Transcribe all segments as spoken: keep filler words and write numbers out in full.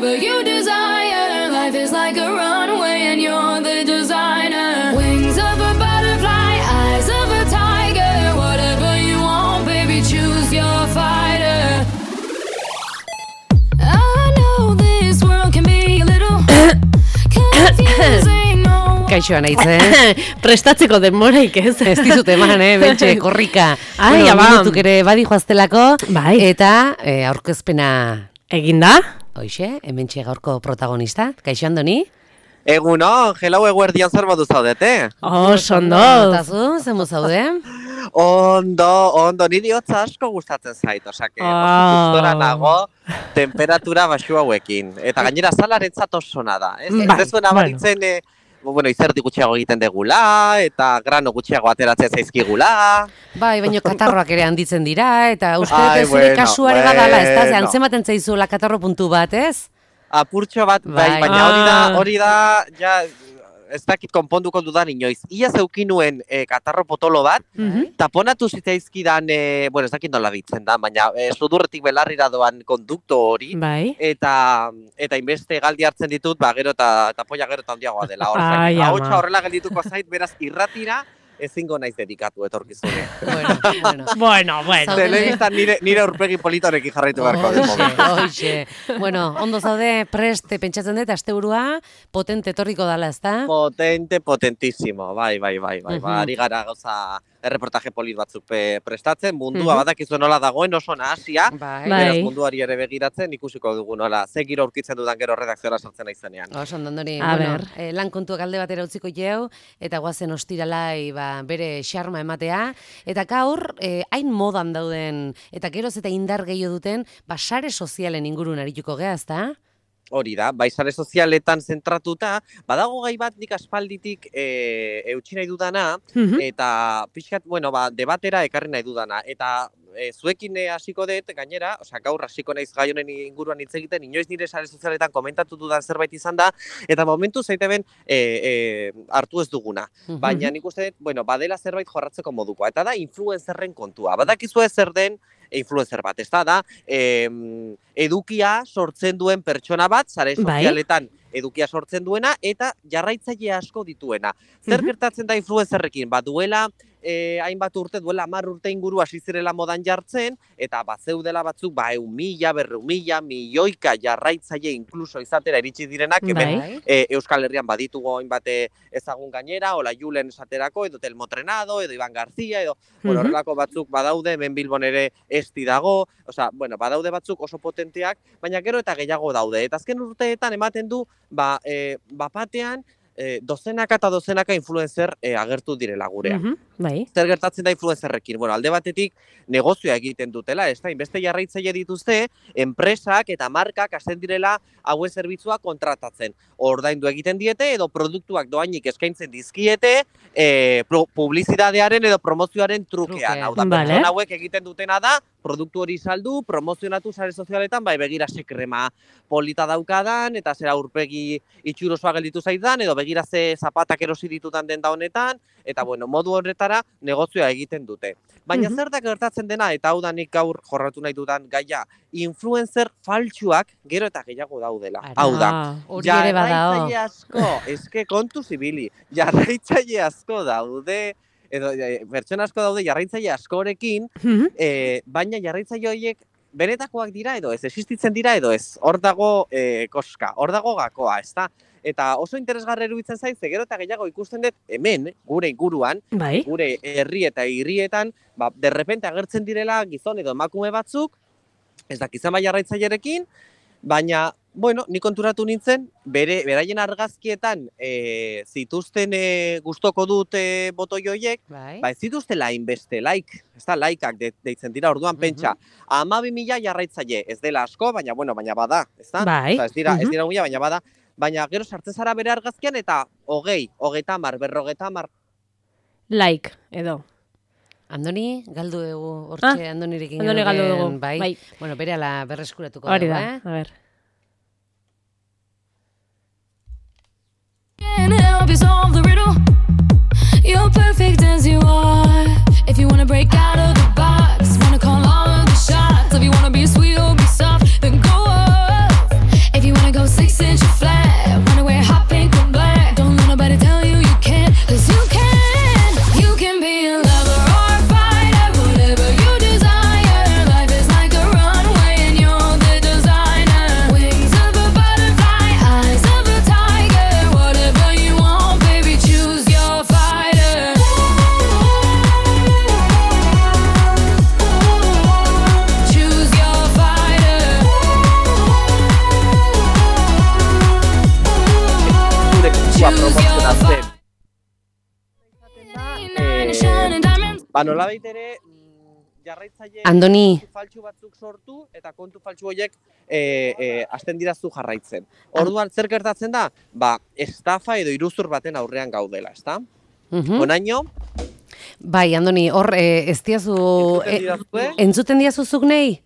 But you desire, life is like a runway and you're the designer. Wings of a butterfly, eyes of a tiger. Whatever you want, baby, choose your fighter. I know this world can be a little confusing. Kaixo anaitzen. Prestatzeko denboraik ez. Ez dizut eman, eh, bentxe, korrika. Ai, bueno, ba. minutuk ere badi joaztelako. Bai. Eta eh, aurkezpena Eginda? hoixe, hementxe gaurko protagonista. Kaixo Andoni? Eguno, gelau eguerdian zer modu zaudete? Oh, sondo. Notazu, zemu zaude? Ondo, ondo, niri hotza asko gustatzen zait, osake, oso Ah. gustora nago temperatura baxu hauekin. Eta gainera salarentzat oso da, ez? Bai, Ez zuen abaritzen, eh, bueno, izerdi gutxiago egiten degula, eta grano gutxiago ateratzen zaizkigula. Bai, baina katarroak ere handitzen dira, eta uste dut Ai, ez zure bueno, kasuare badala, ez da? Ze bueno. antzematen zaizuela katarro puntu bat, ez? Apurtxo bat, bai, Bai. baina hori da, Ah. hori da, ja, ez dakit konponduko dudan inoiz. Ia zeukinuen eh, katarro potolo bat, Mhm. taponatu zitzaizkidan, e, bueno, ez dakit nola ditzen da, baina e, sudurretik belarrira doan kondukto hori, Bai. eta eta inbeste galdi hartzen ditut, ba, gero eta tapoia gero eta handiagoa dela. Ai, Hor, ama. ahotsa horrela geldituko zait, beraz, irratira, ezingo naiz dedikatu etorkizune. Bueno, bueno. Bueno, bueno. Zaude. Telebistan nire, nire aurpegi politorekin jarraitu beharko den momentu. Hoxe, bueno, ondo zaude, preste pentsatzen dut, asteburua, potente etorriko dala, ez da? Potente, potentísimo, bai, bai, bai, bai, Mhm. ba, ari gara gauza erreportaje polit batzuk pe, prestatzen, mundua Mhm. badakizu nola dagoen oso nahasia, Bai. Bai. beraz munduari ere begiratzen ikusiko dugu nola, ze giro aurkitzen dudan gero redakziora sartzen naizenean. Oso ondo, Andoni, A bueno, ber. eh, lan kontuak alde batera utziko jau, eta guazen ostiralai ba, bere xarma ematea, eta gaur, eh, hain modan dauden, eta geroz eta indar gehiago duten, ba, sare sozialen ingurun arituko gea, ezta? Hori da, bai sare sozialetan zentratuta, badago gai bat nik aspalditik e, eutsi nahi dudana, Mhm. eta pixkat, bueno, ba, debatera ekarri nahi dudana, eta e, zuekin e, hasiko dut, gainera, osea, gaur hasiko naiz gai honen inguruan hitz egiten, inoiz nire sare sozialetan komentatu dudan zerbait izan da, eta momentu zaiteben e, e, hartu ez duguna. Baina nik uste dut, bueno, badela zerbait jorratzeko modukoa, eta da influencerren kontua. Badakizue zer den influencer bat, ez da, da, em, edukia sortzen duen pertsona bat, sare Bai. sozialetan edukia sortzen duena, eta jarraitzaile asko dituena. Zer Mhm. gertatzen da influencerrekin? Ba, duela eh, hainbat urte, duela hamar urte inguru hasi zirela modan jartzen, eta bazeudela batzuk, ba, eun mila, berreun mila, milioika jarraitzaile inkluso izatera iritsi direnak, hemen Bai. e, Euskal Herrian baditugu hainbat e, ezagun gainera, Ola Julen esaterako, edo Telmo Trenado, edo Iban Garzia, edo bueno, Mhm. horrelako batzuk badaude, hemen Bilbon ere esti dago, osea, bueno, badaude batzuk oso potenteak, baina gero eta gehiago daude. Eta azken urteetan ematen du, ba, e, bapatean, e, dozenaka eta dozenaka influencer e, agertu direla gurean. Mhm. Bai. Zer gertatzen da influencerrekin? Bueno, alde batetik negozioa egiten dutela, ez da, inbeste jarraitzaile dituzte, enpresak eta markak hasten direla hauen zerbitzua kontratatzen. Ordaindu egiten diete edo produktuak doainik eskaintzen dizkiete e, publizitatearen edo promozioaren trukean. Truke. Hau da, Vale. pertsona hauek egiten dutena da, produktu hori saldu, promozionatu sare sozialetan, bai begira ze krema polita daukadan, eta zera aurpegi itxurosoa gelditu zaidan, edo begira ze zapatak erosi ditudan denda honetan, eta bueno, modu horretara negozioa egiten dute. Baina Mhm. zer da gertatzen dena, eta hau da nik gaur jorratu nahi dudan gaia, influencer faltsuak gero eta gehiago daudela. Ara. Hau da, Ah. Hori ere badao. jarraitzaile asko, eske kontu zibili, jarraitzaile asko daude, edo e, pertsona asko daude jarraitzaile askorekin, Mhm. e, baina jarraitzaile horiek benetakoak dira edo ez, existitzen dira edo ez, hor dago e, koska, hor dago gakoa, ezta? Eta oso interesgarri iruditzen zait, ze gero eta gehiago ikusten dut hemen, gure inguruan, Bai. gure herri eta hirietan, ba, derrepente agertzen direla gizon edo emakume batzuk, ez dakizan bai jarraitzailerekin, baina, bueno, ni konturatu nintzen, bere beraien argazkietan e, zituzten e, gustoko dut e, botoi horiek, Bai. ba ez zituztela hainbeste like, ez da likeak de, deitzen dira, orduan pentsa, hamabi mila jarraitzaile, ez dela asko, baina bueno, baina bada, ez da? Bai. Osa, ez dira, ez Mhm. dira mila, baina bada, baina gero sartzen zara bere argazkian eta hogei, hogeita hamar, berrogeita hamar. Like, edo. Andoni, galdu dugu, hortxe Ah, Andonirekin. Andoni galdu geneuken, dugu, Bai. bai. Bueno, bere ala berreskuratuko Hori dugu, da, eh? a ber. Can't help you solve the riddle. You're perfect as you are. If you wanna break out of the box, wanna call all of the shots. If you wanna be sweet or be soft, then go off. If you wanna go ba, nolabait ere, jarraitzaile Andoni. kontu faltsu batzuk sortu eta kontu faltsu horiek e, e, hasten dira zu jarraitzen. Orduan zer gertatzen da? Ba, estafa edo iruzur baten aurrean gaudela, ezta? Mhm. Onaino, Bai, Andoni, hor eh, ez diazu... Entzuten eh, didazue? entzuten diazu zuk nei?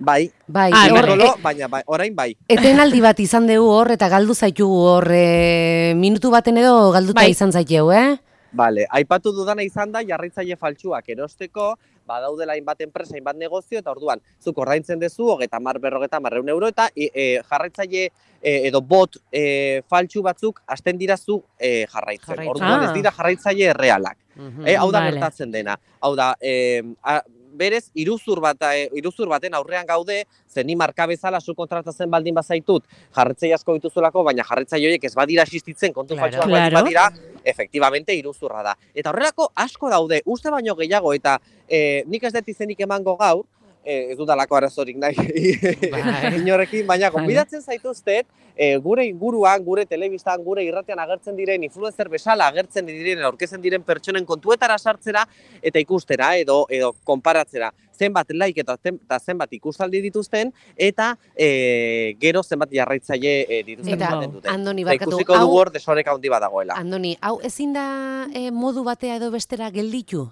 bai, Bai, Ah, hor, Ikastolo, e- baina bai, orain bai. etenaldi bat izan dugu hor, eta galdu zaitugu hor, e, minutu baten edo galduta Bai. izan zaiteu, eh? Bale, aipatu dudana izan da jarraitzaile faltsuak erosteko, badaudela hainbat enpresa, hainbat negozio, eta orduan, zuk ordaintzen dezu, hogeta mar, berrogeta marreun euro, eta e, e, jarraitzaile e, edo bot e, faltsu batzuk hasten dira zu e, jarraitzen. Jarraitzen. Orduan, Ah. ez dira jarraitzaile errealak. Mhm. E, hau da Vale. gertatzen dena. Hau da, e, a, berez, iruzur, bat, e, iruzur baten aurrean gaude, zen ni marka bezala zu kontratatzen baldin bazaitut, jarraitzaile asko dituzulako, baina jarraitzaile horiek ez badira existitzen, kontu Claro. faltsuak baldin Claro. badira, efektibamente iruzurra da. Eta horrelako asko daude, uste baino gehiago, eta e, nik ez dut izenik emango gaur, e, ez dudalako arazorik nahi Bai. inorekin, baina Vale. gonbidatzen zaituztet, e, gure inguruan, gure telebistan, gure irratean agertzen diren, influencer bezala agertzen diren, aurkezen diren pertsonen kontuetara sartzera, eta ikustera, edo edo konparatzera, zenbat like eta, zen- eta zenbat ikustaldi dituzten, eta e, gero zenbat jarraitzaile e, dituzten Eta, esaten duten. Andoni, Eta barkatu, ikusiko hau- dugu hor desoreka handi badagoela. Andoni, hau ezin da eh, modu batea edo bestera gelditu?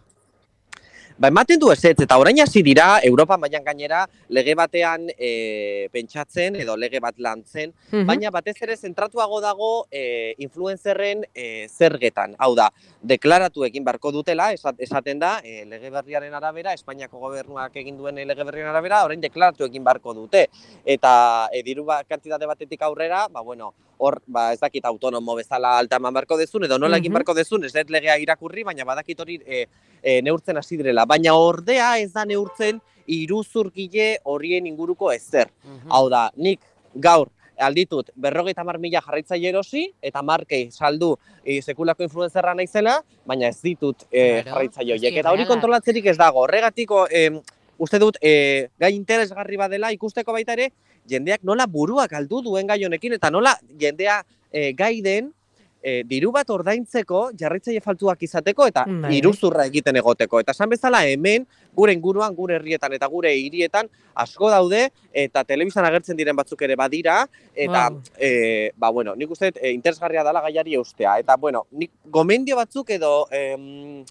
Ba, ematen du ezetz, eta orain hasi dira, Europan baian gainera, lege batean e, pentsatzen, edo lege bat lantzen, Mhm. baina batez ere zentratuago dago e, influencerren e, zergetan. Hau da, deklaratu egin barko dutela, esat- esaten da, e, lege berriaren arabera, Espainiako gobernuak egin duen lege berriaren arabera, orain deklaratu egin barko dute. Eta e, diru ba, kantitate batetik aurrera, ba, bueno, hor, ba, ez dakit autonomo bezala alta eman barko dezun, edo nola egin Mhm. barko dezun, ez dut legea irakurri, baina badakit hori e, e, neurtzen hasi direla. Baina ordea ez da neurtzen iruzurgile horien inguruko ezer. Mhm. Hau da, nik gaur alditut berrogeita hamar mila jarraitzaile erosi, eta markei saldu e, sekulako influenzerra naizela, baina ez ditut e, Claro, jarraitzaile horiek. eski Eta hori errealak. kontrolatzerik ez dago. Horregatiko, e, uste dut, e, gai interesgarri badela ikusteko baita ere, jendeak nola buruak galdu duen gai honekin, eta nola jendea e, gai den, e, diru bat ordaintzeko, jarraitzaile faltuak izateko, eta Bai. iruzurra egiten egoteko. Eta esan bezala hemen, gure inguruan, gure herrietan eta gure hirietan asko daude, eta telebistan agertzen diren batzuk ere badira, eta, Wow. e, ba, bueno, nik uste dut, e, interesgarria dela gaiari eustea. Eta, bueno, nik gomendio batzuk edo, em,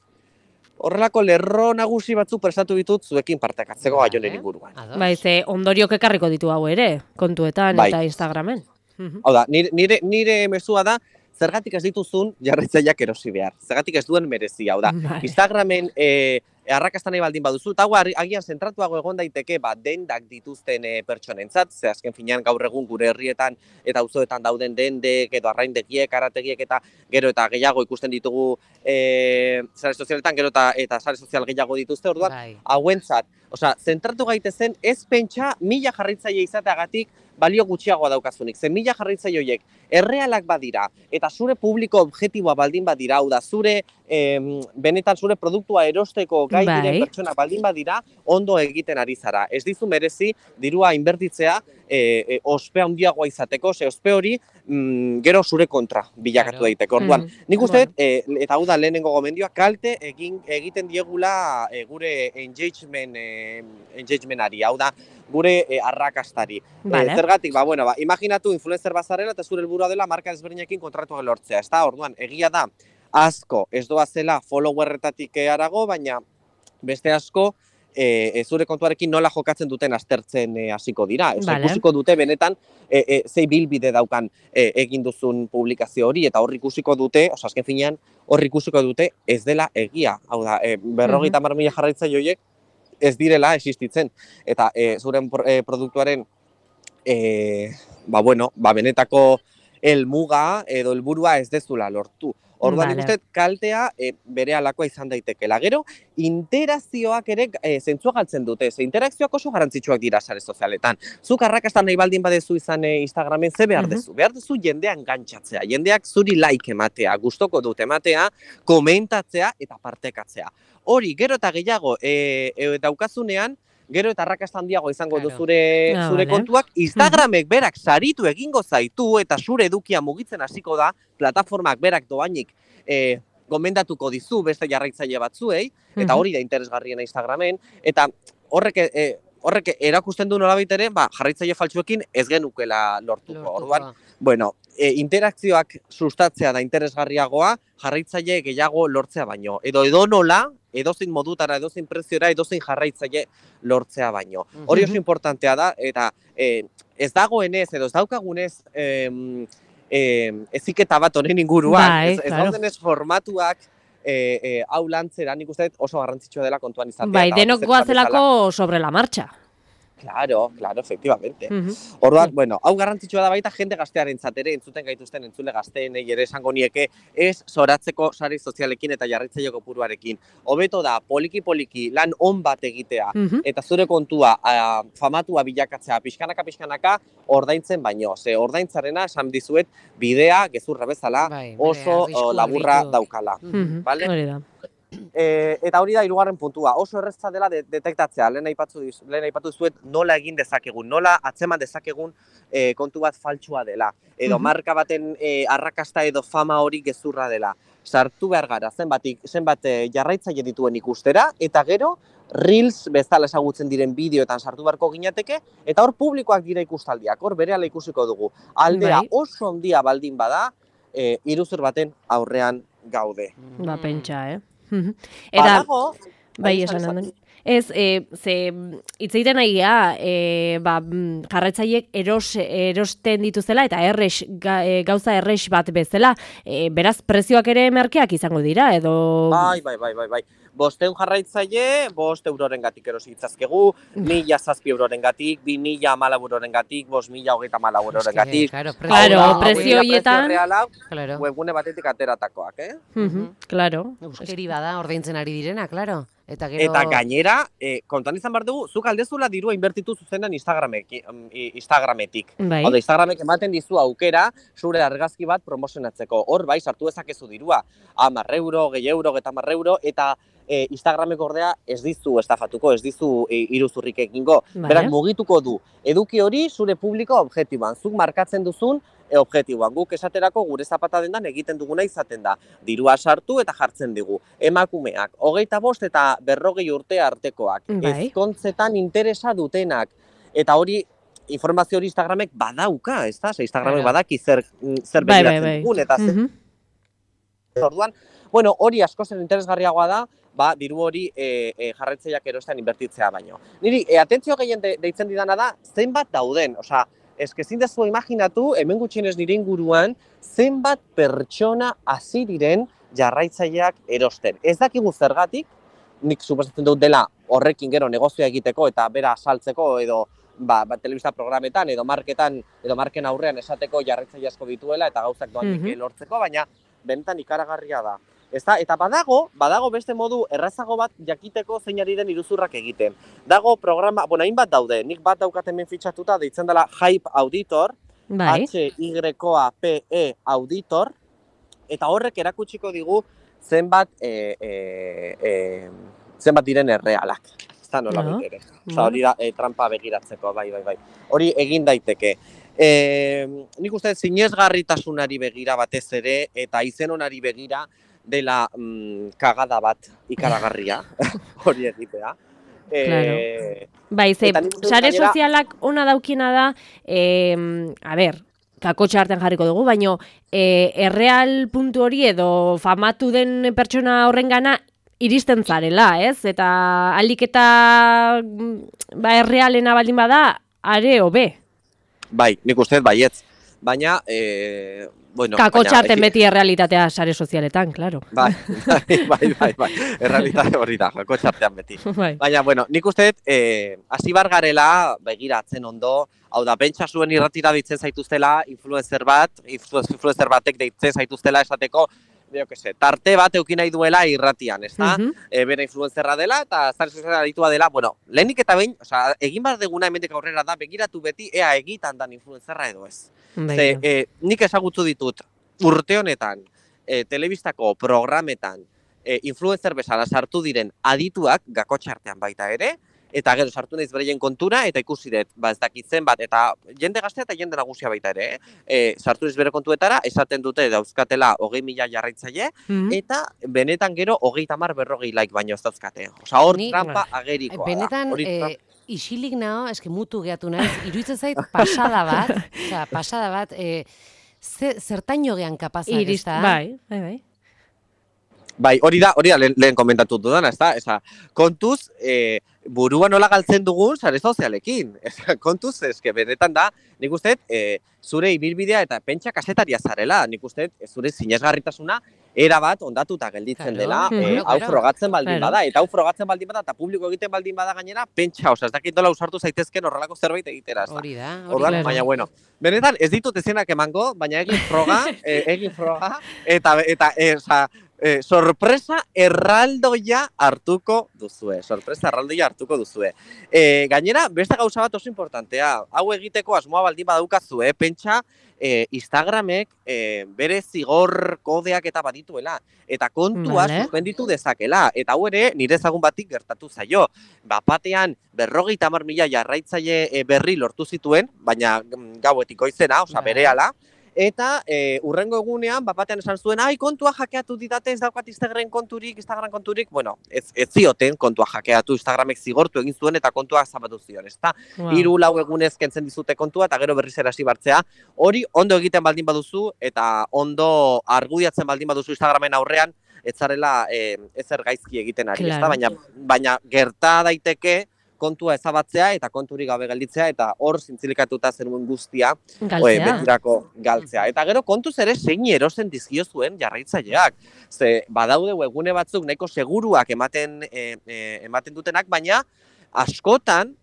horrelako lerro nagusi batzuk prestatu ditut zuekin partekatzeko gai honen Vale. inguruan. Ados. Bai, ze ondoriok ekarriko ditu hau ere, kontuetan Bai. eta Instagramen. Mhm. Hau da, nire, nire, nire mezua da, zergatik ez dituzun jarraitzaileak erosi behar. Zergatik ez duen merezi, hau da. Bai. Instagramen e, arrakasta nahi baldin baduzu, eta hau ari- agian zentratuago egon daiteke ba, dendak dituzten e, pertsonentzat, ze azken finean gaur egun gure herrietan eta auzoetan dauden dendek edo arraindegiek, arategiek eta gero eta gehiago ikusten ditugu e, sare sozialetan, gero eta, eta sare sozial gehiago dituzte, orduan, Bai. hauentzat, osea, zentratu gaitezen ez pentsa mila jarraitzaile izateagatik balio gutxiagoa daukazunik. Zen mila jarraitzaile horiek errealak badira eta zure publiko objektiboa baldin badira, hau da, zure em, benetan zure produktua erosteko gai Bai. diren pertsona baldin badira, ondo egiten ari zara. Ez dizu merezi dirua inbertitzea e, e, ospe handiagoa izateko, ze ospe hori mm, gero zure kontra bilakatu Claro. daiteke. Orduan, Mhm. nik uste Bueno. dut, e, eta hau da lehenengo gomendioa, kalte egin egiten diegula e, gure engagement, e, engagementari, hau da, gure e, arrakastari. Vale. E, zergatik, ba, bueno, ba, imaginatu influencer bazarela eta zure helburua dela marka ezberdinekin kontratuak lortzea, ezta? Orduan, egia da, asko ez doazela followerretatik harago, baina beste asko e, e, zure kontuarekin nola jokatzen duten aztertzen e, hasiko dira. Osa, Vale. ikusiko dute benetan e, e, zei bilbide daukan e, egin duzun publikazio hori, eta hor ikusiko dute, osa, azken finean, hor ikusiko dute ez dela egia. Hau da, e, berrogeita hamar mila jarraitzaile horiek ez direla existitzen. Eta e, zuren pro- e, produktuaren e, ba, bueno, ba, benetako helmuga edo helburua ez dezula lortu. Orduan, nik Vale. uste dut kaltea e, bere alakoa izan daitekela. Gero, interakzioak ere e, zentzua galtzen dute. Ze interakzioak oso garrantzitsuak dira sare sozialetan. Zuk arrakasta nahi baldin badezu izan e, Instagramen, ze behar Mhm. dezu? Behar dezu jendean gantxatzea. Jendeak zuri like ematea, gustoko dut ematea, komentatzea eta partekatzea. Hori, gero eta gehiago e, e, daukazunean, gero eta arrakasta handiago izango Claro. du zure, Ah, zure vale. kontuak, Instagramek berak saritu egingo zaitu eta zure edukia mugitzen hasiko da, plataformak berak doainik e, gomendatuko dizu beste jarraitzaile batzuei, eta hori da interesgarriena Instagramen, eta horrek e, horrek erakusten du nolabait ere, ba, jarraitzaile faltsuekin ez genukela lortuko. Orduan, bueno, e, interakzioak sustatzea da interesgarriagoa, jarraitzaile gehiago lortzea baino. Edo edonola, edozein modutara, edozein preziora, edozein jarraitzaile lortzea baino. Hori oso importantea da, eta e, ez dagoenez, edo ez daukagunez, e, e, eziketa bat honen inguruan, bai, ez, ez claro. daudenez formatuak, E, e, hau lantzera, nik uste oso garrantzitsua dela kontuan izatea. Bai, denok goazelako sobre la marcha. Claro, claro, efectivamente. Uh-huh. Orduan, bueno, hau garrantzitsua da baita jende gaztearentzat ere, entzuten gaituzten entzule gazteenei ere esango nieke, ez zoratzeko sare sozialekin eta jarraitzaile kopuruarekin. Hobeto da, poliki-poliki lan on bat egitea, Uh-huh. eta zure kontua a, famatua bilakatzea pixkanaka-pixkanaka ordaintzen baino. Ze ordaintzarena, esan dizuet, bidea, gezurra bezala, Bai, bere oso arrisku o, laburra argitu. daukala. Uh-huh. Vale? Hori da. E, eta hori da hirugarren puntua, oso erreza dela de, detektatzea, lehen aipatu diz, lehen aipatu zuet nola egin dezakegun, nola atzeman dezakegun e, kontu bat faltsua dela, edo Mhm. marka baten e, arrakasta edo fama hori gezurra dela. Sartu behar gara, zenbat, zenbat e, jarraitzaile dituen ikustera, eta gero Reels bezala ezagutzen diren bideoetan sartu beharko ginateke, eta hor publikoak dira ikustaldiak, hor berehala ikusiko dugu. Aldea Bai. oso handia baldin bada, e, iruzur baten aurrean gaude. Ba, pentsa, eh? Mhm. Eta, Badago, bai, esan, esan esan. handon. Ez, e, ze, hitz egiten nahi gea, e, ba, mm, jarraitzaileek eros, erosten dituzela, eta errex, ga, e, gauza errex bat bezala, e, beraz, prezioak ere merkeak izango dira, edo... Bai, bai, bai, bai, bai. Bosteun jarraitzaile, bost euroren gatik erosi ditzazkegu, mila zazpi euroren gatik, bi mila amalau euroren gatik, bost mila hogeita amalau euroren gatik. Claro, Claro, hau da, prezio hau horietan- Prezio reala, Claro. webgune batetik ateratakoak, eh? Mhm, claro. Euskeri bada ordaintzen ari direna, claro. Eta gero... Eta gainera, eh, kontuan izan behar dugu, zuk aldezula dirua inbertitu zuzenan Instagramek, i- Instagrametik. Bai. Hau da, Instagramek ematen dizu aukera zure argazki bat promozionatzeko. Hor bai, sartu dezakezu dirua. Hamar euro, gehi euro, eta hamar euro, eta e, Instagramek ordea ez dizu estafatuko, ez dizu e, iruzurrik egingo. Bai. Berak mugituko du. Eduki hori zure publiko objektiboan. Zuk markatzen duzun e, objektiboan. Guk esaterako gure zapata dendan egiten duguna izaten da. Dirua sartu eta jartzen digu. Emakumeak, hogeita bost eta berrogei urte artekoak. Bai. Ezkontzetan interesa dutenak. Eta hori informazio hori Instagramek badauka, ez da? Ze Instagramek Claro. badaki zer, zer Bai, bai, begiratzen bai. dugun, eta zer Mhm. orduan, bueno, hori askoz interesgarriagoa da, ba, diru hori e, e, jarraitzaileak erostean inbertitzea baino. Niri, e, atentzio gehien de, deitzen didana da, zenbat dauden, osea, eske ezin dezu imaginatu, hemen gutxienez nire inguruan, zenbat pertsona hasi diren jarraitzaileak erosten. Ez dakigu zergatik, nik suposatzen dut dela horrekin gero negozioa egiteko eta bera saltzeko edo ba, ba, telebista programetan edo marketan edo marken aurrean esateko jarraitzaile asko dituela eta gauzak doanik Mhm. lortzeko, baina benetan ikaragarria da. Ezta? Eta badago, badago beste modu errazago bat jakiteko zein ari den iruzurrak egiten. Dago programa, bueno, hainbat daude, nik bat daukat hemen fitxatuta, deitzen dela Hype Auditor, Bai. H Y P E Auditor, eta horrek erakutsiko digu zenbat e, e, e, zenbat diren errealak. Ez da nola No. ere. Osa, hori da e, trampa begiratzeko, bai, bai, bai. Hori egin daiteke. E, nik uste sinesgarritasunari begira batez ere, eta izen onari begira, dela mm, kagada bat ikaragarria, hori egitea. E, Bai, ze, Eta nik uste dut sare gainera- sozialak ona daukina da, eh, a ber, kakotxa artean jarriko dugu, baino eh, erreal puntu hori edo famatu den pertsona horrengana iristen zarela, ez? Eta alik eta mm, ba, errealena baldin bada, are hobe. bai, nik uste dut baietz. Baina, e, bueno... Kakotxa baina- arten beti errealitatea sare sozialetan, claro. Bai, bai, bai, bai, bai. Errealitate hori da, jako txartean beti. Bai. Baina, bueno, nik uste dut, eh, hasi bar garela, begiratzen ondo, hau da, pentsa zuen irratira deitzen zaituztela, influencer bat, influ- influencer batek deitzen zaituztela esateko, jo que se, tarte bat eukin nahi duela irratian, ez da? Mhm. E, bera influencerra dela eta zare soziala aditua dela, bueno, lehenik eta behin, osea, egin behar deguna hemendik aurrera da, begiratu beti ea egitan dan influencerra edo ez. Bai. Ze, e, nik ezagutu ditut urte honetan, e, telebistako programetan, e, influencer bezala sartu diren adituak, gakotxartean baita ere, eta gero sartu naiz bereien kontura, eta ikusi dut, ba ez dakitzen bat, eta jende gaztea eta jende nagusia baita ere, eh? E, sartu naiz bere kontuetara, esaten dute dauzkatela hogei mila jarraitzaile, Mhm. eta benetan gero hogei tamar berrogei like baino ez dauzkate. Osa, hor Ni- trampa agerikoa da. Benetan, Hori eh, trampa- isilik nao, eske mutu gehatu naiz, iruditzen zait pasada bat, osea, pasada bat, eh, ze, zertaino gean kapazak, ez Irist, da? bai, bai, bai. Bai, hori da, hori da lehen, lehen komentatu dudana, ez da? Eza, kontuz, e, burua nola galtzen dugun sare sozialekin. Eza, kontuz, eske benetan da, nik uste, e, zure ibilbidea eta pentsa kasetaria zarela. Nik uste, zure sinesgarritasuna erabat ondatuta gelditzen Claro, dela, claro, e, hau claro. frogatzen baldin Claro. bada, eta hau frogatzen baldin bada, eta publiko egiten baldin bada gainera, pentsa, osa, ez dakit dola usartu zaitezken horrelako zerbait egitera, ez da? Hori da, hori Orduan, da. baina bueno, benetan ez ditut ezenak emango, baina egin froga, e, egin froga, eta, eta e, oza, e, sorpresa erraldoia hartuko duzue, sorpresa erraldoia hartuko duzue. E, gainera, beste gauza bat oso importantea, hau egiteko asmoa baldin badaukazue, pentsa, e, Instagramek e, bere zigor kodeak eta badituela, eta kontua Vale. suspenditu dezakela, eta hau ere nire ezagun batik gertatu zaio. Bapatean berrogeita hamar mila jarraitzaile e, berri lortu zituen, baina mm, gauetik goizena, osea Bai. berehala, eta e, urrengo egunean bapatean esan zuen, ai, kontua hackeatu didate, ez daukat Instagram konturik, Instagram konturik, bueno, ez, ez zioten kontua hackeatu, Instagramek zigortu egin zuen eta kontua zabatu zion, ezta? Wow. Hiru lau egunez kentzen dizute kontua eta gero berriz ere hasi bartzea. Hori ondo egiten baldin baduzu eta ondo argudiatzen baldin baduzu Instagramen aurrean, ez zarela e, ezer gaizki egiten ari, ezta? Claro. Baina, baina gerta daiteke kontua ezabatzea eta konturik gabe gelditzea eta hor zintzilikatuta zenuen guztia oe, Galtzea. betirako galtzea. Eta gero kontuz ere zein erosten dizkio zuen jarraitzaileak. Ze badaude webgune batzuk nahiko seguruak ematen e, e, ematen dutenak, baina askotan,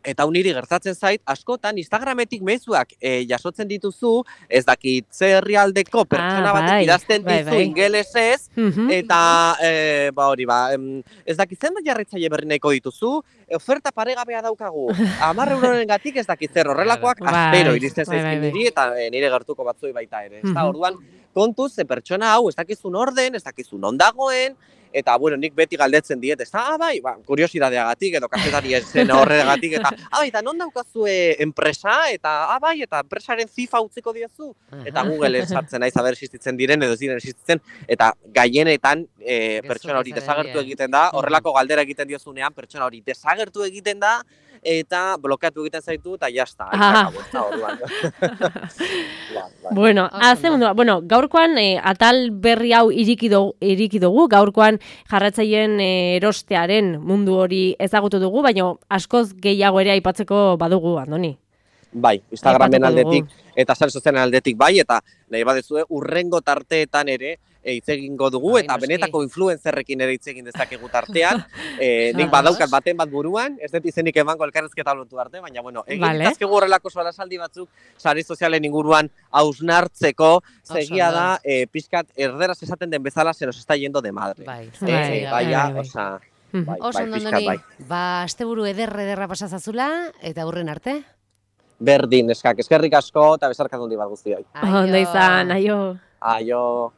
eta hau niri gertatzen zait, askotan Instagrametik mezuak e, jasotzen dituzu, ez dakit ze herrialdeko pertsona Ah, batek bai, idazten bai, dizu bai. ingelesez, Mhm. eta, e, ba hori, ba, em, ez dakit zenbat jarraitzaile berri nahiko dituzu, e, oferta paregabea daukagu, hamar euroren gatik ez dakit zer, horrelakoak Bai, astero iristen bai, bai, zaizkin bai. niri, eta e, nire gertuko batzuei baita ere. Ezta? Mhm. Orduan, kontuz, ze pertsona hau ez dakizun orden, ez dakizun ondagoen, eta, bueno, nik beti galdetzen diet, ez da, ah, bai, ba, kuriosidadeagatik, edo kazetari zen horregatik, eta, ah, bai, eta non daukazue enpresa, eta, ah, bai, eta enpresaren zifa utziko diozu, eta Google sartzen naiz aber existitzen diren, edo ez diren existitzen, eta gaienetan e, Gezurra pertsona hori zarenean. desagertu egiten da, horrelako galdera egiten diozunean, pertsona hori desagertu egiten da, eta blokeatu egiten zaitu, eta jazta, Ah. orduan. Bai, bai. Bueno, Oso haze ondo. mundu, bueno, gaurkoan eh, atal berri hau iriki dugu, iriki dugu, gaurkoan jarratzaileen eh, erostearen mundu hori ezagutu dugu, baina askoz gehiago ere aipatzeko badugu, Andoni. Bai, Instagramen Aipatuko dugu. aldetik eta sare sozialen aldetik bai, eta nahi badezue urrengo tarteetan ere e, hitz egingo dugu, Bai, eta noski. benetako influencerrekin ere hitz egin dezakegu tartean. e, nik Ados. badaukat baten bat buruan, ez dut izenik emango elkarrezketa lotu arte, baina bueno, egin Vale. ditazkegu horrelako sorasaldi batzuk sare sozialen inguruan hausnartzeko, zegia ondo. da, e, pixkat erderaz esaten den bezala se nos está yendo de madre. Bai, Eh, Bai, eh, bai, baia, bai, bai. osea, Mhm. bai, Oso bai, ondo, pixkat Andoni, bai. ba, asteburu ederre ederra pasazazula, eta hurren arte. Berdin, eskak, eskerrik asko, eta besarkatu handi bat guztioi. Ondo izan, aio. Aio.